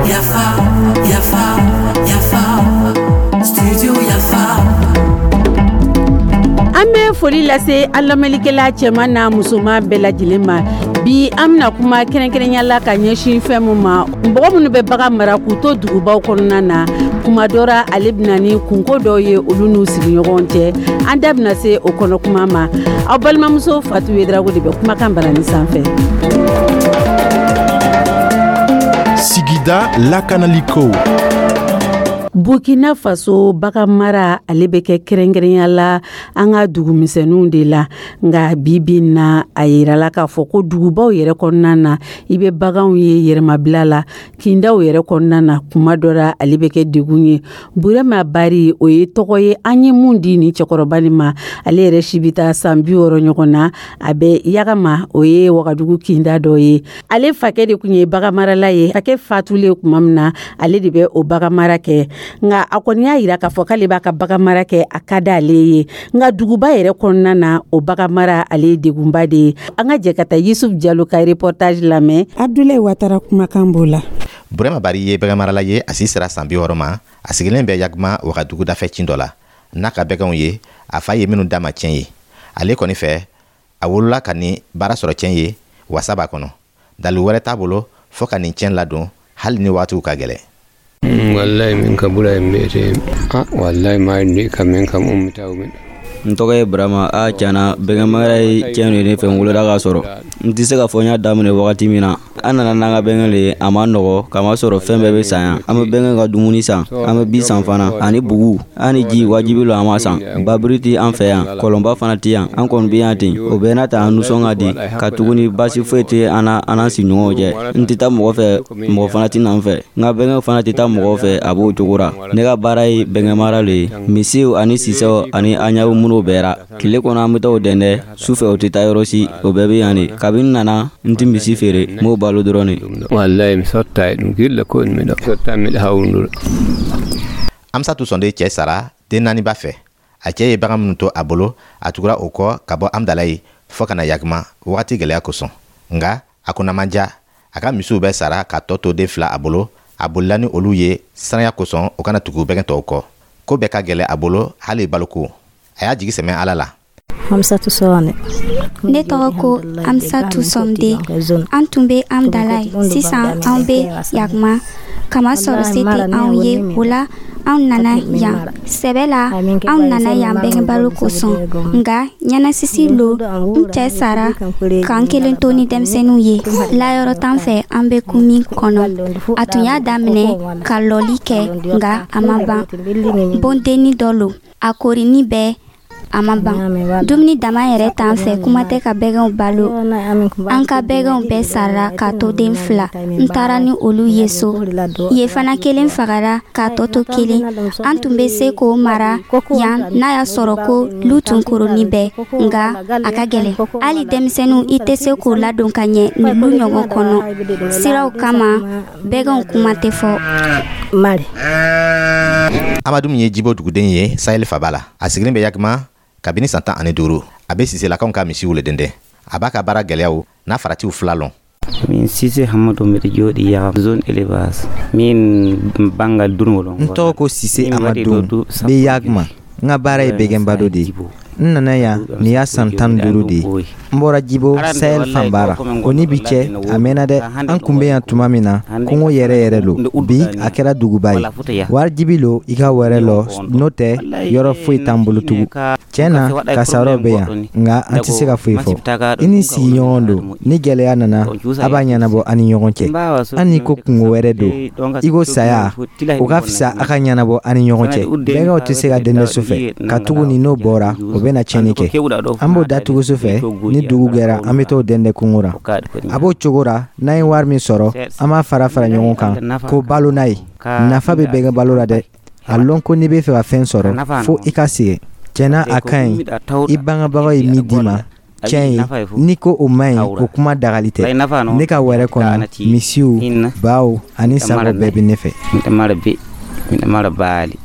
Yafa, yafa, yafa, studio Yafa. An bɛ foli lase an lamɛnlikɛla cɛman n'a musoman bɛɛ lajɛlen ma. Bi, an bɛna kuma kɛrɛnkɛrɛnya la ka ɲɛsin fɛn min ma, mɔgɔ minnu bɛ bagan mara k'u to dugubaw kɔnɔna na, kuma dɔ ra, ale bɛna ni kunko dɔw ye olu n'u sigiɲɔgɔn cɛ. An da bɛna se o kɔnɔ kuma ma. Aw balimamuso Fatu Yedrago de bɛ kumakan barani sanfɛ. Sigida lakanaliko. Burkina Faso, bagan mara, ale bɛ kɛ kɛrɛnkɛrɛnya la an ka dugumisɛnninw de la. Nka bi bi na, a yirala k'a fɔ ko dugubaw yɛrɛ kɔnɔna na, i bɛ baganw ye yɛrɛmabila la kindaw yɛrɛ kɔnɔna na. Kuma dɔ la, ale bɛ kɛ degun ye. Burema Bari, o ye tɔgɔ ye an ye mun di nin cɛkɔrɔba nin ma. Ale yɛrɛ si bɛ taa san 60 ɲɔgɔn na. A bɛ Yagama, o ye Wagadugu kinda dɔ ye. Ale fakɛ de tun ye baganmarala ye. Fakɛ fatulen tuma min na, ale de bɛ o baganmara kɛ. Nka a kɔni y'a yira k'a fɔ k'ale b'a ka baganmara kɛ, a ka d'ale ye. Nka duguba yɛrɛ kɔnɔna na, o baganmara, ale ye degunba de ye. An ka jɛ ka taa Yusuf Jalo ka reportage lamɛn. Abdulayi Watara kumakan b'o la. Burema Bari ye baganmarala ye. A si sera san 60 ma. A sigilen bɛ Yagma, Wagadugu dafɛ cin dɔ la, n'a ka bɛganw ye, a fa ye minnu d'a ma tiɲɛ ye. Ale kɔni fɛ, a wolola ka nin baara sɔrɔ tiɲɛ ye, wasa b'a kɔnɔ. Dalu wɛrɛ t'a bolo fɔɔ ka nin tiɲɛ ladon, hali ni waatiw ka gɛlɛn. Wallahi min ka bura en mbiyete a wallahi mayi kam min kam ummitaw min. N tɔgɔ ye Burama. A tiɲɛna, bɛgɛnmara ye tiɲɛ de ne fɛ. N wolola k'a sɔrɔ. N tɛ se k'a fɔ n y'a daminɛ wagati min na. An nana n'an ka bɛgɛn le ye. A ma nɔgɔ, k'a sɔrɔ fɛn bɛɛ bɛ san yan. An bɛ bɛgɛn ka dumuni san, an bɛ bi san fana, ani bugu ani ji. Wajibi lo an b'a san. Babiri tɛ an fɛ yan, kɔlɔnba fana tɛ yan. An kɔni bɛ yan ten. O bɛɛ n'a ta, an nisɔn ka di, ka tuguni baasi foyi tɛ an na, an n'an sigiɲɔgɔnw cɛ. N tɛ taa mɔgɔ fɛ, mɔgɔ fana tɛ na n fɛ. N ka bɛgɛn fana tɛ taa mɔgɔw fɛ. A b'o cogo ra. Ne ka baara ye bɛgɛnmara le ye. Misiw ani sisɛw ani an ɲaw minnu bɛɛ ra, tile kɔnɔ an bɛ taa o dɛndɛ. Su fɛ, o tɛ taa yɔrɔ si, o bɛɛ bɛ yan de. Kabini nana, n tɛ misi feere, n b'o balo dɔrɔn de. Wallahi mi sotta e ɗum gilla ko miɗo sotta, miɗo hawndura. Amsatu Sɔnde cɛ sara den naani b'a fɛ. A cɛ ye bagan minnu to a bolo, a tugura o kɔ ka bɔ Amdalayi fɔɔ ka na Yagma, wagati gɛlɛya kosɔn. Nga a kunna man diya. A ka misiw bɛɛ sara ka tɔ to den fila a bolo. A bolila ni olu ye siranya kosɔn, o kana tugu bɛgɛn tɔw kɔ. Ko bɛɛ ka gɛlɛ a bolo, hali baloko. A y'a jigi sɛmɛ Ala la. Hamsatu Sɔne. Ne tɔgɔ ko Amsatu Sɔmde. An tun bɛ Amdalayi, sisan an bɛ Yagma, kamasɔrɔ se tɛ anw ye. O la anw nana yan sɛbɛ la. Anw nana yan bɛgɛnbalo kosɔn, nka ɲɛnasisi lo. N cɛ sara k'an kelen to ni denmisɛnninw ye. Layɔrɔ t'an fɛ an bɛ kun min kɔnɔ. A tun y'a daminɛ ka lɔli kɛ, nka a ma ban. Bondenni dɔ lo, a korini bɛɛ, a ma ban. Dumuni dama yɛrɛ t'an fɛ, kuma tɛ ka bɛgɛnw balo. An ka bɛgɛnw bɛɛ sara k'a to den fila. N taara ni olu ye so ye fana, kelen fagara k'a tɔ to kelen. An tun bɛ se k'o mara yan n'a y'a sɔrɔ ko lu tun koroni bɛɛ, nka a ka gɛlɛn. Hali denmisɛnninw, i tɛ se k'o ladon ka ɲɛ nin lu ɲɔgɔn kɔnɔ siraw kama. Bɛgɛnw kuma tɛ fɔ. Mari. Amadu min ye Jibo duguden ye Sahel faba la, a sigilen bɛ Yagma kabini san 15. A bɛ Siselakaw ka misiw le dɛndɛn. A b'a ka baara gɛlɛyaw n'a faratiw fila lɔn. Min Sise Hamadu, mbiɗa jooɗi Yaha, zone élevage, min banggal durngol. N tɔgɔ ko Sise Amadu, bɛ Yagma. N ka baara ye bɛgɛnbalo de ye. N nana yan, nin y'a san 15 de ye. N bɔra Jibo, Sahel fanba ra. O ni bi cɛ, a mɛnna dɛ. An kun bɛ yan tuma min na, kungo yɛrɛ yɛrɛ lo. Bi, a kɛra duguba ye. Wajibi lo i ka wɛrɛ lɔ, n'o tɛ yɔrɔ foyi t'an bolo tugun. Tiɲɛ na, kasaraw bɛ yan, nka an tɛ se ka foyi fɔ. I ni sigiɲɔgɔn don, ni gɛlɛya nana, a b'a ɲɛnabɔ an ni ɲɔgɔn cɛ. Hali ni ko kungo wɛrɛ don i ko saya, o ka fisa a ka ɲɛnabɔ an ni ɲɔgɔn cɛ. Bɛgɛw tɛ se ka dɛndɛ su fɛ, katuguni n'o bɔra, o bɛna tiɲɛni kɛ. An b'o datugu su fɛ. Ni dugu gɛra, an bɛ t'o dɛndɛ kungo ra. A b'o cogo ra. N'an ye wari min sɔrɔ, an b'a fara fara ɲɔgɔn kan ko balo n'a ye. Nafa bɛ bɛgɛn balo la dɛ. A lɔn ko n'i bɛ fɛ ka fɛn sɔrɔ, fo i ka sɛgɛn. Tiɲɛna, a ka ɲi. I bangebagaw ye min d'i ma tiɲɛ ye, n'i ko o man ɲi, o kuma dagali tɛ. Ne ka wɛrɛ kɔnɔ, misiw, baw ani sagaw bɛɛ bɛ ne fɛ. Miɗo mara baali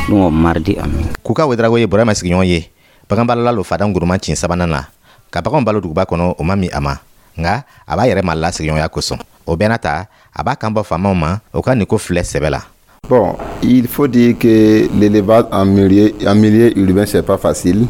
ɗum o mardi amin. Kuka Wedrago ye Burama sigiɲɔgɔn ye. Baganbalala lo fadan guruman cin sabanan na. Ka baganw balo duguba kɔnɔ, o ma min a ma, nka a b'a yɛrɛ mala sigiɲɔgɔnya kosɔn. O bɛɛ n'a ta, a b'a kan bɔ faamaw ma, o ka nin ko filɛ sɛbɛ la. Bon, il faut dire que l'élevage en milieu urbain, c'est pas facile.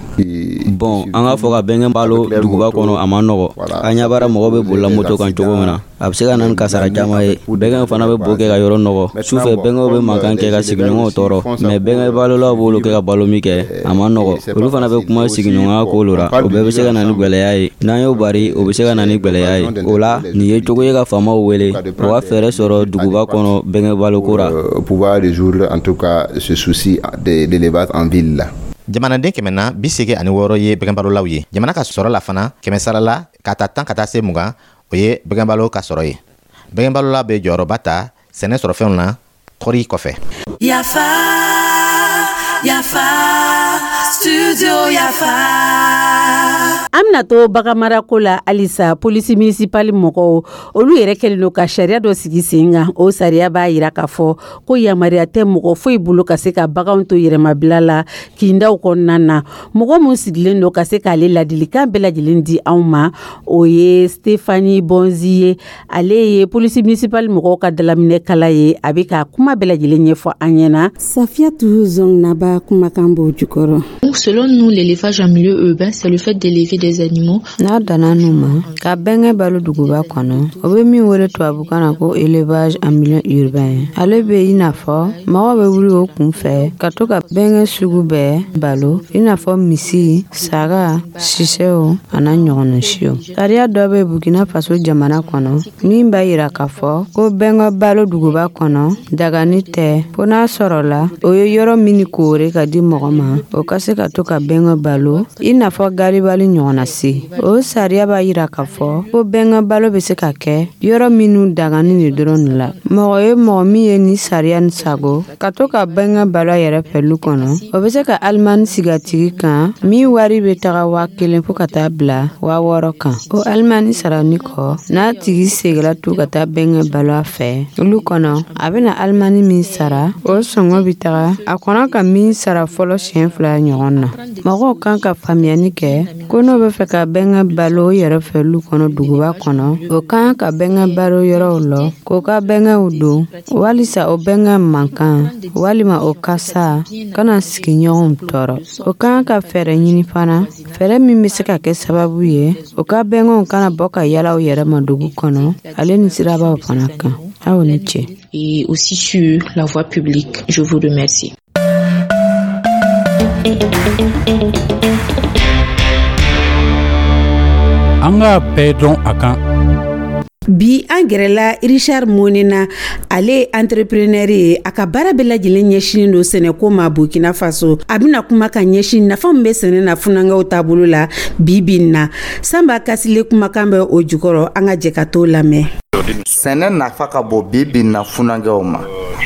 Bon, an k'a fɔ ka bɛnkɛ balo duguba kɔnɔ, a ma nɔgɔ. An ɲɛ b'ara mɔgɔ bɛ bolila moto kan cogo min na, a bɛ se ka na ni kasara caman ye. Bɛnkɛw fana bɛ bo kɛ ka yɔrɔ nɔgɔ. Sufɛ, bɛnkɛw bɛ mankan kɛ ka sigiɲɔgɔnw tɔɔrɔ. Mais bɛnkɛ balolaw b'olu kɛ ka balo min kɛ, a ma nɔgɔ. Olu fana bɛ kuma sigiɲɔgɔnya ko la. O bɛɛ bɛ se ka na ni gwɛlɛya ye. N'an y'o bari, o bɛ se ka na ni gwɛlɛya ye. O la, nin ye cogo ye ka faamaw wele, o ka fɛɛrɛ sɔrɔ duguba kɔnɔ bɛnkɛ baloko ra. Pouvoir résoudre en tout cas ce souci de l'élevage en ville là. Jamanaden 186 ye bɛgɛnbalolaw ye. Jamana ka sɔrɔ la fana, kɛmɛ sara la, ka ta 10 ka taa se 20, o ye bɛgɛnbalo ka sɔrɔ ye. Bɛgɛnbalola bɛ jɔyɔrɔba ta sɛnɛ sɔrɔfɛnw na, kɔri kɔfɛ. Yafa, Yafa, Studio Yafa. An bɛna to baganmarako la halisa. Polisi municipale mɔgɔw, olu yɛrɛ kɛlen don ka sariya dɔ sigi sen kan. O sariya b'a yira k'a fɔ ko yamaruya tɛ mɔgɔ foyi bolo ka se ka baganw to yɛrɛmabila la kindaw kɔnɔna na. Mɔgɔ min sigilen don ka se k'ale ladilikan bɛɛ lajɛlen di anw ma, o ye Stefani Bonzi ye. Ale ye polisi municipale mɔgɔw ka dalaminɛ kala ye. A bɛ ka kuma bɛɛ lajɛlen ɲɛfɔ an ɲɛna. Safiyatu Zɔngnaba kumakan b'o jukɔrɔ. Selon nous, l'élevage en milieu urbain, c'est le fait d'élever des animaux. N'a danna nu ma ka bɛnkɛ balo duguba kɔnɔ, o bɛ min wele tubabukan na ko élevage en milieu urbain, ale bɛ i n'a fɔ mɔgɔ bɛ wuli o kun fɛ ka to ka bɛnkɛ sugu bɛɛ balo, i n'a fɔ misi, saga, sisɛw a n'a ɲɔgɔnna siw. Sariya dɔ bɛ Burkina Faso jamana kɔnɔ min b'a yira k'a fɔ ko bɛnkɛ balo duguba kɔnɔ dagani tɛ, fo n'a sɔrɔla o ye yɔrɔ min koore ka di mɔgɔ ma, o ka se ka to ka bɛnkɛ balo, i n'a fɔ garibali ɲɔgɔnna se. O sariya b'a yira k'a fɔ ko bɛnkɛ balo bɛ se ka kɛ yɔrɔ minnu dagani de dɔrɔn de la. Mɔgɔ ye mɔgɔ min ye ni sariya ni sago ka to ka bɛnkɛ balo a yɛrɛ fɛ lu kɔnɔ, o bɛ se ka alimani sigi a tigi kan min wari bɛ taga 1000 fo ka taa bila 6000 kan. O alimani sarani kɔ, n'a tigi seginna tu ka taa bɛnkɛ balo a fɛ olu kɔnɔ, a bɛna alimani min sara, o sɔngɔ bɛ taga a kɔnɔ ka min sara fɔlɔ siɲɛ 2 ɲɔgɔn na. Mɔgɔw kan ka faamuyali kɛ ko n'o bɛ fɛ ka bɛnkɛ balo o yɛrɛ fɛ lu kɔnɔ duguba kɔnɔ, o kan ka bɛnkɛ balo yɔrɔw lɔ k'o ka bɛnkɛw don walisa o bɛnkɛ mankan walima o kasa kana sigiɲɔgɔnw tɔɔrɔ. O kan ka fɛɛrɛ ɲini fana, fɛɛrɛ min bɛ se ka kɛ sababu ye o ka bɛnkɛw kana bɔ ka yala u yɛrɛ ma dugu kɔnɔ, ale ni sirabaw fana kan. Aw ni ce. Et aussi sur la voie publique. Je vous remercie. An k'a bɛɛ dɔn a kan. Bi, an gɛrɛla Richard Monena. Ale ye entrepreneur ye. A ka baara bɛɛ lajɛlen ɲɛsinin don sɛnɛko ma Burkina Faso. A bɛna kuma ka ɲɛsin nafa min bɛ sɛnɛ na funankɛw taabolo la bi bi in na. Sanba Kasile kumakan bɛ o jukɔrɔ. An ka jɛ ka t'o lamɛn. Sɛnɛ nafa ka bon bi bi na funankɛw ma.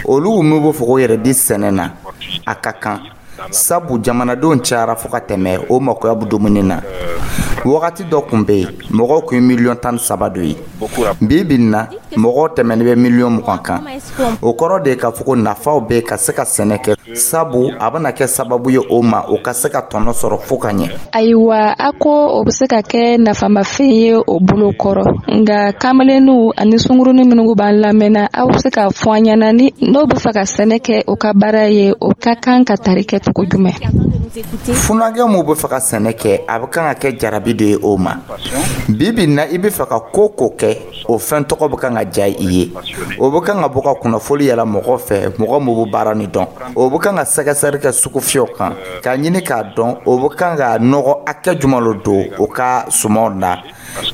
Olu min b'o fɔ ko yɛrɛ di sɛnɛ na, a ka kan, sabu jamanadenw cayara fo ka tɛmɛ o makoya bɛ dumuni na. Wagati dɔ tun bɛ yen, mɔgɔw tun ye miliyɔn 13 dɔ ye. Bi bi na, mɔgɔw tɛmɛnen bɛ miliyɔn 20 kan. O kɔrɔ de ye k'a fɔ ko nafaw bɛ ka se ka sɛnɛ kɛ, sabu a bɛna kɛ sababu ye o ma, o ka se ka tɔnɔ sɔrɔ fo ka ɲɛ. Ayiwa, a ko o bɛ se ka kɛ nafamafɛn ye o bolo kɔrɔ, nka kamalenninw ani sunkurunin minnu b'an lamɛnna, aw bɛ se k'a fɔ an ɲɛna, ni n'o bɛ fɛ ka sɛnɛ kɛ o ka baara ye, o ka kan ka tari kɛ cogo jumɛn? Funankɛ min bɛ fɛ ka sɛnɛ kɛ, a bɛ kan ka kɛ jarabi de ye o ma. Bi bi na, i bɛ fɛ ka ko ko kɛ, o fɛn tɔgɔ bɛ kan ka diya i ye, o bɛ kan ka bɔ ka kunnafoli yɛlɛ mɔgɔ fɛ, mɔgɔ min bɛ baara nin dɔn. O bɛ kan ka sɛgɛsɛgɛli kɛ sugufiyɛw kan k'a ɲini k'a dɔn o bɛ kan ka nɔgɔ hakɛ jumɛn don o ka sumanw na,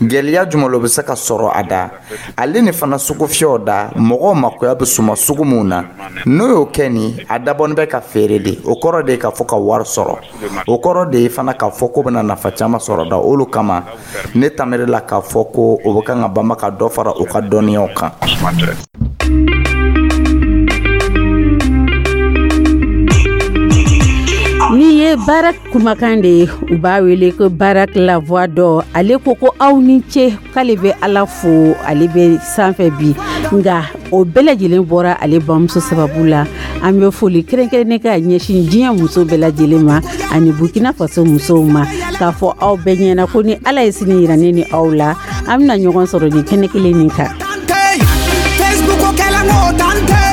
gɛlɛya jumɛn bɛ se ka sɔrɔ a da, ale ni fana sugufiyɛw da mɔgɔw makoya bɛ suma sugu min na. N'o y'o kɛ nin, a dabɔnin bɛ ka feere de. O kɔrɔ de ye k'a fɔ ka wari sɔrɔ. O kɔrɔ de ye fana k'a fɔ ko bɛna nafa caman sɔrɔ da. Olu kama, ne tamiri la k'a fɔ ko o bɛ kan ka banba ka dɔ fara u ka dɔnniyaw kan. Ni ye baara kumakan de ye, u b'a wele ko Barak la voix d'or. Ale ko ko aw ni ce, k'ale bɛ Ala fo, ale bɛ sanfɛ bi, nka o bɛɛ lajɛlen bɔra ale bamuso sababu la. An bɛ foli kɛrɛnkɛrɛnnen ka ɲɛsin diɲɛ muso bɛɛ lajɛlen ma ani Burkina Faso musow ma. K'a fɔ aw bɛɛ ɲɛna ko ni Ala ye sini yira ne ni aw la, an bɛna ɲɔgɔn sɔrɔ nin kɛnɛ kelen nin kan. Facebook kɛla ŋo tante.